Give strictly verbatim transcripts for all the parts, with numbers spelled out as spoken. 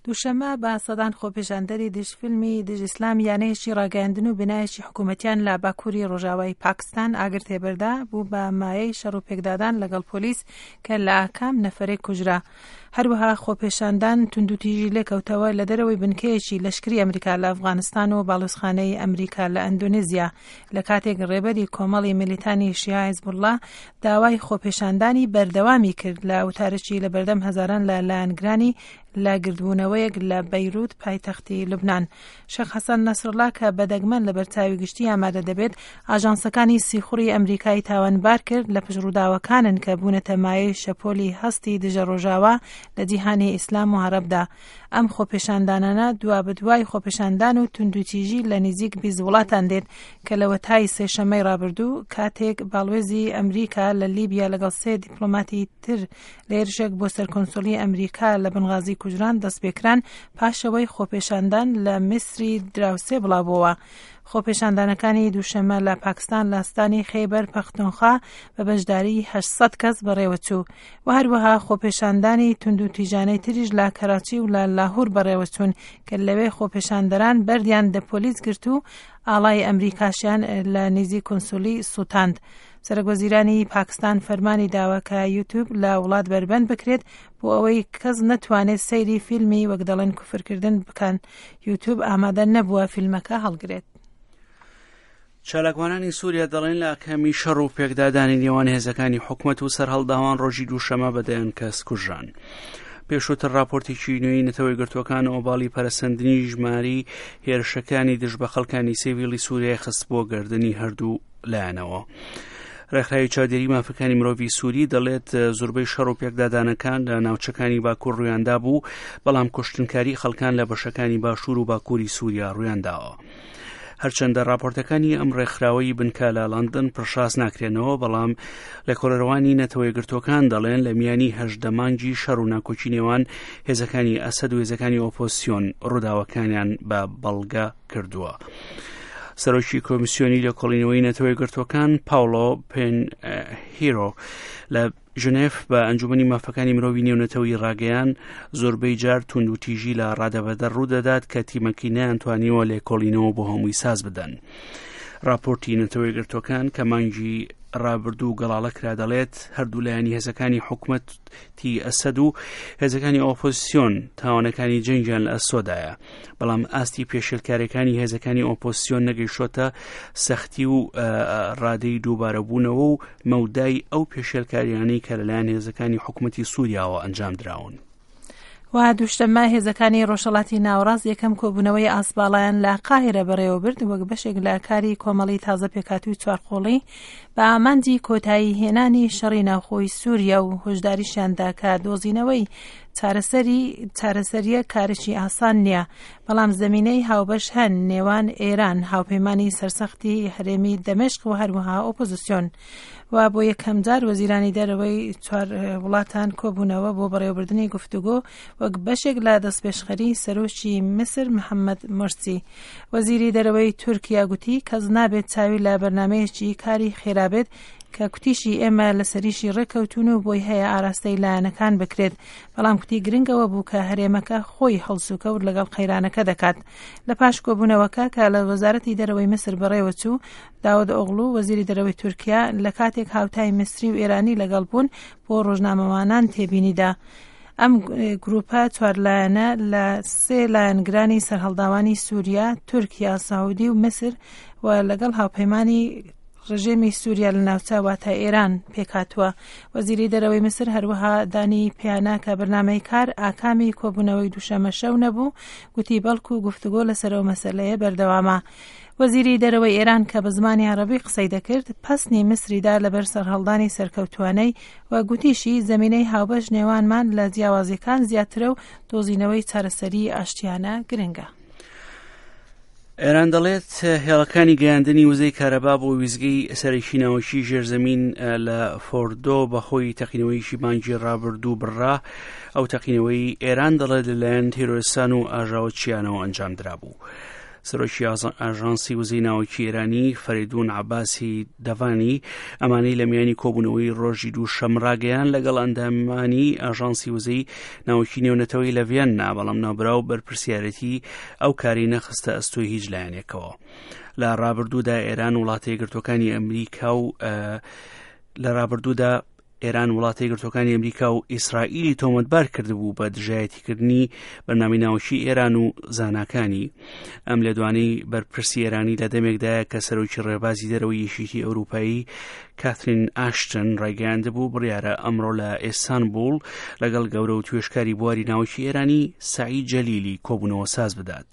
دووشەممە بە سەدان خۆپێشاندەری دژ فیلمی دژ ئیسلام یانەیەکی ڕاگەیاندن و بنایەکی حکوومەتیان لە باکووری ڕۆژاوای پاکستان ئاگر تێبەردا بوو بە مایەی شەڕ و پێکدادان لەگەڵ پۆلیس کە لە ئاکام نەفەرێک کوژرا. هەروەها خۆپێشاندان توندوتیژی لێکەوتەوە لە دەرەوەی بنکەیەکی لەشکری ئەمریکا لە ئەفغانستان و باڵیۆزخانەی ئەمریکا لە ئەندۆنێزیا، لە کاتێک ڕێبەری کۆمەڵی میلیتانی شیعە حیزبوڵڵا داوای خۆپێشاندانی بەردەوامی کرد لە وتارێکی لە بەردەم هەزاران لە لایەنگرانی لە گردبوونەوەیەک لە بەیروت پایتەختی لوبناان. شێخ حەسەن نەسرڵا کە بە دەگمەن لە بەرچاوی گشتی ئامادە دەبێت، ئاژانسەکانی سیخوڕی ئەمریکای تاوانبار کرد لە پشت ڕووداوەکانن کە بوونەتە مایەی شەپۆلی هەستی دژە ڕۆژاوا لە جیهانی ئیسلام و عەرەبدا. ئەم خۆپێشاندانانە دوا بەدوای خۆپێشاندان و توندوتیژی لە نزیک بیست وڵاتان دێت کە لەوەتای سێشەممەی ڕابردوو کاتێک باڵوێزی ئەمریکا لە لیبیا لەگەڵ سێ دیپلۆماتی تر لە هێرشێک بۆ سەر کۆنسولی ئەمریکا لە بنغازی کوژران دەستپێکران، پاشەوەی خۆپێشاندان لە میسری دراوسێ بڵاوبووەوە. خۆپێشاندانەکانی دووشەممە لە پاکستان لە ستانی خەیبەر پەختونخوا بە بەشداری هەشت سەد کەس بەڕێوەچوو و هەروەها خۆپێشاندانی توندوتیژانەی تریش لە کەراچی و لە لاهور بەڕێوەچوون کە لەوێ خۆپێشاندەران بەردیان دە پۆلیس گرت و ئاڵای ئەمریکاشیان لە نزیک کونسولی سوتاند. سەرۆک وەزیرانی پاکستان فەرمانی داوە کە یوتیوب لە وڵات بەربەند بکرێت بۆ ئەوەی کەس نەتوانێت سەیری فیلمی وەک دەڵێن کوفرکردن بکەن. یوتیوب ئامادە نەبووە فیلمەکە هەڵگرێت. چالاکوانانی سووریا دەڵێن لە ئاکامی شەڕ و پێکدادانی نێوان هێزەکانی حکومەت و سەرهەڵداوان ڕۆژی دووشەمە بە دەیان کەس کوژران. پێشووتر راپۆرتێکی نوێی نەتەوە یەکگرتووەکان ئۆباڵی پەرەسەندنی ژماری هێرشەکانی دژ بە خەڵکانی سیڤیلی سووریای خست بۆ گردنی هەردوو لایەنەوە. ڕێکخراوی چاودێری مافەکانی مرۆڤی سووری دەڵێت زۆربەی شەڕ و پێکدادانەکان لە ناوچەکانی باکوور ڕوویاندا بوو، بەڵام کوشتنکاری خەڵکان لە بەشەکانی باشوور و باکووری سووریا ڕوویانداوە. هەرچەندە راپۆرتەکانی ئەم ڕێکخراوەی بنکە لە لەندەن پڕشاز ناکرێنەوە، بەڵام لێکۆڵەرەوانی نەتەوە یەکگرتووەکان دەڵێن لە میانی هەژدە مانگی شەڕ و ناکۆکی نێوان هێزەکانی ئەسەد و هێزەکانی ئۆپۆزسیۆن ڕووداوەکانیان بە بەڵگە کردووە. سەرۆکی کۆمیسیۆنی لێکۆڵینەوەی نەتەوە یەکگرتووەکان پاولۆ پێن هیرۆ لە ژنێف بە ئەنجومەنی مافەکانی مرۆڤی نێونەتەوەی ڕاگەیان زۆربەی جار توندوتیژی لە ڕادەبەدەر ڕوودەدات کە تیمەکەی نەیانتوانیوە لێکۆڵینەوە بۆ هەمووی ساز بدەن. راپۆرتی نەتەوە یەکگرتووەکان کە مانگی ڕابردوو گەڵاڵە کرا دەڵێت هەردوو لایەنی هێزەکانی حکومەتی ئەسەد و هێزەکانی ئۆپۆزیسیۆن تاوانەکانی جەنگیان لە ئەستۆدایە، بەڵام ئاستی پێشێلکاریەکانی هێزەکانی ئۆپۆزیسیۆن نەگەیشتۆتە سەختی و ڕادەی دووبارەبوونەوە و مەودای ئەو پێشێلکاریانەی کە لەلایەن هێزەکانی حکومەتی سووریاوە ئەنجام دراون. و دووشەممە هێزەکانی ڕۆژهەڵاتی ناوەڕاست یەکەم کۆبوونەوەی ئاسباڵایان لە قاهیرە بەڕێوەبرد وەک بەشێک لە کاری کۆمەڵی تازە پێکهاتووی چوارقۆڵی بە ئامانجی کۆتایی هێنانی شەڕی ناوخۆی سووریا و هۆشداریشیاندا کە دۆزینەوەی چارەسەری چارەسەریە کارێکی ئاسان نییە، بەڵام زمینەی هاوبەش هەن نێوان ئێران، هاوپەیمانی سەرسەختی هەرێمی دەمشق و هەروەها ئۆپۆزیسیۆن. و بۆ یەکەم جار وەزیرانی دەرەوەی چوار وڵاتان کۆبوونەوە بۆ بەڕێوەبردنی گفتوگۆ وەک بەشێک لە دەستپێشخەری سەرۆکی میسر محەممەد مورسی. وەزیری دەرەوەی تورکیا گوتی کەس نابێت چاوی لە بەرنامەیەکی کاری خێرا بێت کە کوتیشی ئێمە لەسەریشی ڕێککەوتون و بۆی هەیە ئاراستەی لایەنەکان بکرێت، بەڵام کوتی گرنگەوە بوو کە هەرێمەکە خۆی هەڵسوکەوت لەگەڵ قەیرانەکە دەکات. لە پاش کۆبوونەوەکە کە لە وەزارەتی دەرەوەی میسر بەڕێوەچوو، داود ئۆغڵو وەزیری دەرەوەی تورکیا لە کاتێک هاوتای میسری و ئێرانی لەگەڵ بوون بۆ ڕۆژنامەوانان تێبینیدا. ئەم گروپە چوارلایەنە لە سێ لایەنگرانی سەرهەڵداوانی سووریا، تورکیا، سعودی و میسر و لەگەڵ هاوپەیمانی ڕژێمی سووریا لە ناوچە واتە ئێران پێکهاتووە. وەزیری دەرەوەی میسر هەروەها دانی پیانا کە بەرنامەی کار ئاکامی کۆبوونەوەی دووشەممە شەو نەبوو، گوتی بەڵکو گفتوگۆ لەسەر ئەو مەسەلەیە بەردەوامە. وەزیری دەرەوەی ئێران کە بە زمانی عەرەبی قسەی دەکرد پەسنی میسریدا لەبەر سەرهەڵدانی سەرکەوتوانەی و گوتیشی زمینەی هاوبەش نێوانمان لە جیاوازیەکان زیاترە و دۆزینەوەی چارەسەری ئاشتیانە گرنگە. ئێران دەڵێت هێڵەکانی گەیاندنی وزەی کارەبا بۆ ویزگەی سەرەکی ناوەکی ژێرزەمین لە فۆردۆ بەهۆی تەقینەوەیکی مانگی ڕابردوو بڕا. ئەو تەقینەوەی ئێران دەڵێت لەلایەن تیرۆریستان و ئاژاوەچیانەوە ئەنجام درابوو. سەرۆکی ئاژانسی وزەی ناوەکی ئێرانی فەریدون عەباسی دەڤانی ئەمانەی لە میانی کۆبوونەوەی ڕۆژی دووشەم ڕاگەیان لەگەڵ ئەندامانی ئاژانسی وزەی ناوەکی نێونەتەوەی لە ڤیەننا، بەڵام ناوبراو بەرپرسیارەتی ئەو کاری نەخستە ئەستۆی هیچ لایەنێکەوە. لە ڕابردوودا ئێران وڵاتە یەکگرتووەکانی ئەمریکا و لە ڕابردوودا ئێران وڵاتە یەکگرتووەکانی ئەمریکا و ئیسرائیلی تۆمەتبار کردبوو بە دژایەتیکردنی بەرنامەی ناوەکی ئێران و زاناکانی. ئەم لێدوانەی بەرپرسی ئێرانی لە دەمێکدایە کە سەرۆکی ڕێبازی دەرەوەی یەکێتی ئەوروپایی کاترین ئاشتن ڕایگەیاندبوو بڕیارە ئەمڕۆ لە ئیستانبوڵ لەگەڵ گەورە و توێشکاری بواری ناوەکی ئێرانی سەعید جەلیلی کۆبوونەوە ساز بدات.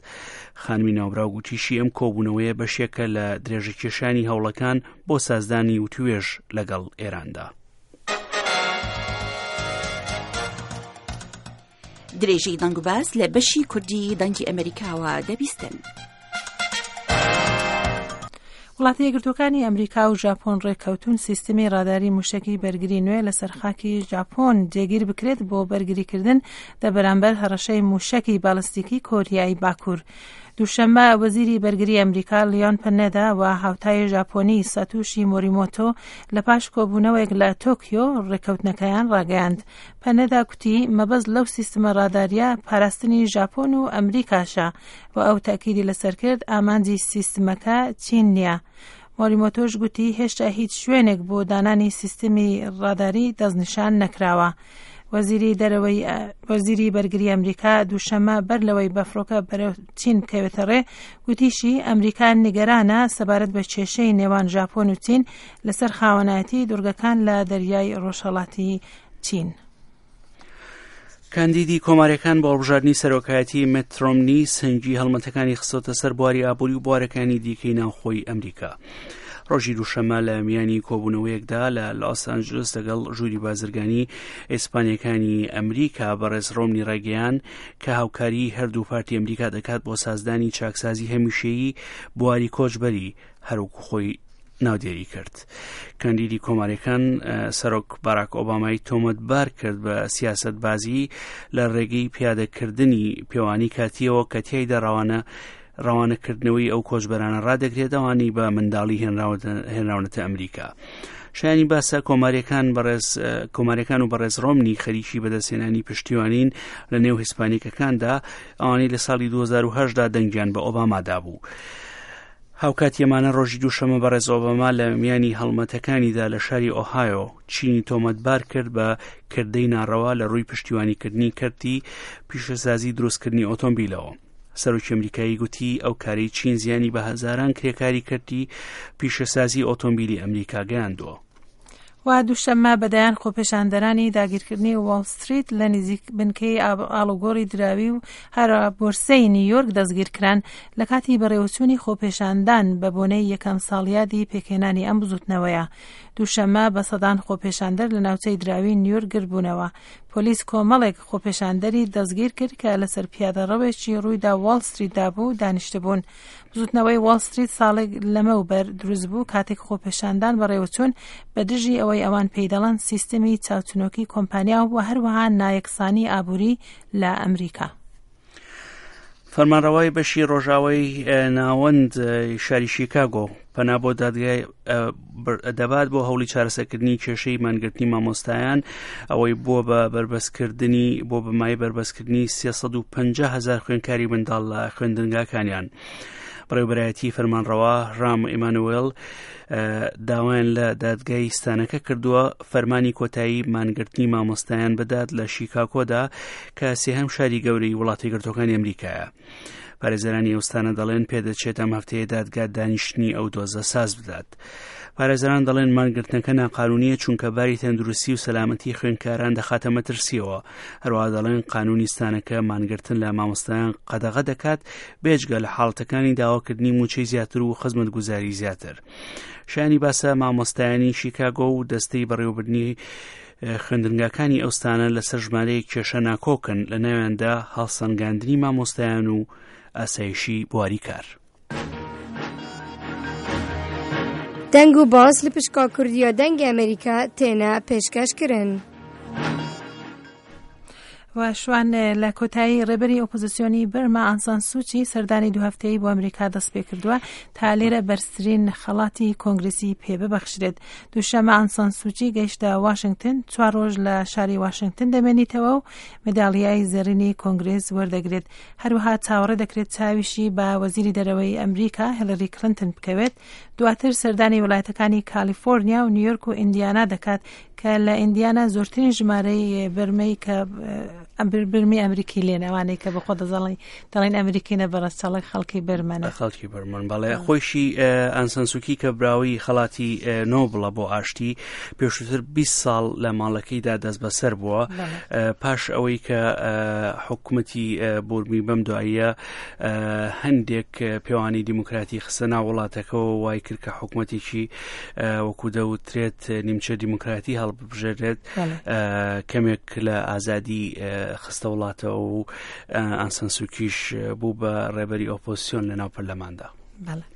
خانمی ناوبراو گوتیشی ئەم کۆبوونەوەیە بەشێکە لە درێژەکێشانی هەوڵەکان بۆ سازدانی وتوێژ لەگەڵ ئێراندا. درێژەی دەنگ و باس لە بەشی کوردی دەنگی ئەمریکاوە دەبیستن. وڵاتە یەکگرتووەکانی ئەمریکا و ژاپۆن ڕێککەوتون سیستمی ڕاداری موشەکی بەرگری نوێ لەسەر خاکی ژاپۆن جێگیر بکرێت بۆ بەرگریکردن دە بەرامبەر هەڕەشەی موشەکی بالستیکی کۆریای باکوور. دووشەممە وەزیری بەرگری ئەمریکا لیۆن پەنێدا و هاوتای ژاپۆنی ساتوشی مۆریمۆتۆ لە پاش کۆبوونەوەیەک لە تۆکیۆ ڕێککەوتنەکەیان ڕاگەیاند. پەنێدا گوتی مەبەست لەو سیستمە ڕاداریە پاراستنی ژاپۆن و ئەمریکاشە و ئەو تاکیدی لەسەر کرد ئامانجی سیستمەکە چین نییە. مۆریمۆتۆش گوتی هێشتا هیچ شوێنێک بۆ دانانی سیستمی ڕاداری دەستنیشان نەکراوە. وەزیری دەرەوەی وەزیری بەرگری ئەمریکا دووشەممە بەر لەوەی بەفرۆکە بەرەو چین بکەوێتە ڕێ گوتیشی ئەمریکا نیگەرانە سەبارەت بە کێشەی نێوان ژاپۆن و چین لەسەر خاوەنایەتی دوورگەکان لە دەریای ڕۆژهەڵاتی چین. کاندیدی کۆماریەکان بۆ هەڵبژاردنی سەرۆکایەتی مێت ڕۆمنی سەنگی هەڵمەتەکانی خستۆتە سەر بواری ئابووری و بوارەکانی دیکەی ناوخۆی ئەمریکا. ڕۆژی دووشەممە لە میانی کۆبوونەوەیەکدا لە لۆس ئەنجلس لەگەڵ ژووری بازرگانی ئیسپانیەکانی ئەمریکا بەڕێز ڕۆمنی ڕایگەیاند کە هاوکاری هەردوو پارتی ئەمریکا دەکات بۆ سازدانی چاکسازی هەمیشەیی بواری کۆچبەری هەروەکو خۆی ناودێری کرد. کاندیدی کۆماریەکان سەرۆک باراک ئۆبامای تۆمەتبار کرد بە سیاسەتبازی لە ڕێگەی پیادەکردنی پێوانی کاتیەوە کە تیایدا ڕەوانە ڕەوانەکردنەوەی ئەو کۆچبەرانە ڕادەگرێت ئەوانەی بە منداڵی هێنراونەتە ئەمریکا. شایانی باسە کۆماریەکان بەڕێز کۆماریەکان و بەڕێز ڕۆمنی خەریکی بەدەستهێنانی پشتیوانین لە نێو هیسپانیکەکاندا ئەوانەی لە ساڵی دوو هەزار و هەشت دا دەنگیان بە ئۆباما دابوو. هاوکاتی ئەمانە ڕۆژی دووشەممە بەڕێز ئۆباما لە میانی هەڵمەتەکانیدا لە شاری ئۆهایۆ چینی تۆمەتبار کرد بە کردەی ناڕەوا لە ڕووی پشتیوانیکردنی کەرتی پیشەسازی دروستکردنی ئۆتۆمبیلەوە. سەرۆکی ئەمریکایی گوتی ئەو کارەی چین زیانی بە هەزاران کرێکاری کەرتی پیشەسازی ئۆتۆمبیلی ئەمریکا گەیاندووە. و دووشەممە بەدەیان خۆپێشاندەرانی داگیرکردنی واڵ ستریت لە نزیک بنکەی ئاڵوگۆڕی دراوی و هەرا بۆرسەی نیویۆرک دەستگیرکران لە کاتی بەڕێوەچوونی خۆپێشاندان بە بۆنەی یەکەم ساڵیادی پێکهێنانی ئەم بزوتنەوەیە. دووشەممە بە سەدان خۆپێشاندەر لە ناوچەی دراوی نیویۆرک گردبوونەوە. پۆلیس کۆمەڵێک خۆپێشاندەری دەستگیر کرد کە لەسەر پیادەڕەوێکی ڕوویدا واڵ ستریتدا بوو دانیشتبوون. بزوتنەوەی واڵ ستریت ساڵێک لەمەوبەر دروست بوو کاتێک خۆپێشاندان بەڕێوەچوون بە دژی ئەوەی ئەوان پێی دەڵێن سیستمی چاوچنۆکی کۆمپانیا و هەروەها نایەکسانی ئابووری لە ئەمریکا. فەرمانڕەوای بەشی ڕۆژاوای ناوەند شاری شیکاگۆ پەنا بۆ دادگای دەبات بۆ هەوڵی چارەسەرکردنی کێشەی مانگرتنی مامۆستایان ئەوەی بووە بە بەربەستکردنی بۆ بەمای بەربەستکردنی سێ سەد و پەنجا هەزار خوێندکاری منداڵ لە خوێندنگاکانیان. بەڕێوەبەرایەتی فەرمانڕەوا ڕام ئیمانوێل داوایان لە دادگای ستانەکە کردووە فەرمانی کۆتایی مانگرتنی مامۆستایان بدات لە شیکاگۆدا کە سێهەم شاری گەورەی وڵاتی یەکگرتووەکانی ئەمریکایە. پارێزەرانی ئەوستانە دەڵێن پێدەچێت ئەم هەفتەیە دادگا دانیشتنی ئەو دۆزە ساز بدات. پارێزەران دەڵێن مانگرتنەکە ناقانونیە چونکە باری تەندروستی و سەلامەتی خوێندکاران دەخاتە مەترسیەوە. هەروەها دەڵێن قانونی ستانەکە مانگرتن لە مامۆستایان قەدەغە دەکات بێجگە لە حاڵەتەکانی داواکردنی موچەی زیاتر و خزمەتگوزاری زیاتر. شایانی باسە مامۆستایانی شیکاگۆ و دەستەی بەڕێوەبردنی خوێندنگاکانی ئەوستانە لەسەر ژمارەیەک کێشە ناکۆکن لە ناویاندا هەڵسەنگاندنی مامۆستایان و ئاسایشی بواری کار. دەنگ و باس لە پشکا کوردیا دەنگ ئەمریکا تێنە پێشکەش کردن. و و شوان لە کۆتایی ڕێبەری ئۆپۆزیسیۆنی بەرما ئانسان سوچی سەردانی دوو هەفتەیی بۆ ئەمریکا دەست پێ کردووە تا لێرە بەرزترین خەڵاتی کۆنگرسی پێ ببەخشرێت. دووشەممە ئانسان سوچی گەیشتە واشنگتن، چوار ڕۆژ لە شاری واشنگتن دەمێنیتەوە و مەدالیای زێڕینی کۆنگرس وەردەگرێت. هەروەها چاوەڕێ دەکرێت چاویشی بە وەزیری دەرەوەی ئەمریکا هیلری کلینتن بکەوێت. دواتر سەردانی وڵاتەکانی کالیفۆرنیا و نیویۆرک و ئیندیانا دەکات کە لە ئیندیانا زۆرترین ژمارەی بەرمەی کە برمی ئەمریکی لێن، ئەوانەی کە بەخۆ دەزەڵی دەڵێن ئەمریکی نە بەڕەچەڵەک خەڵکی بەرمەنە. خەڵکی بەرمەن بەڵێ. خۆشی ئانسانسوکی کە براوی خەڵاتی نۆبڵە بۆ ئاشتی پێشووتر بیست ساڵ لە ماڵەکەیدا دەست بەسەر بووە، پاش ئەوەی کە حکوومەتی بورمی بەم دواییە هەندێک پێوانی دیموکراتی خستە ناو وڵاتەکەەوە، وای کرد کە حکوومەتێکی وەکو دەوترێت نیمچە دیموکراتی هەڵبژێرێت، کەمێک لە ئازادی خستە وڵاتەوە و ئانسانسوکیش بوو بە ڕێبەری ئۆپۆزیسیۆن لە ناو پەرلەماندا. بەڵێ.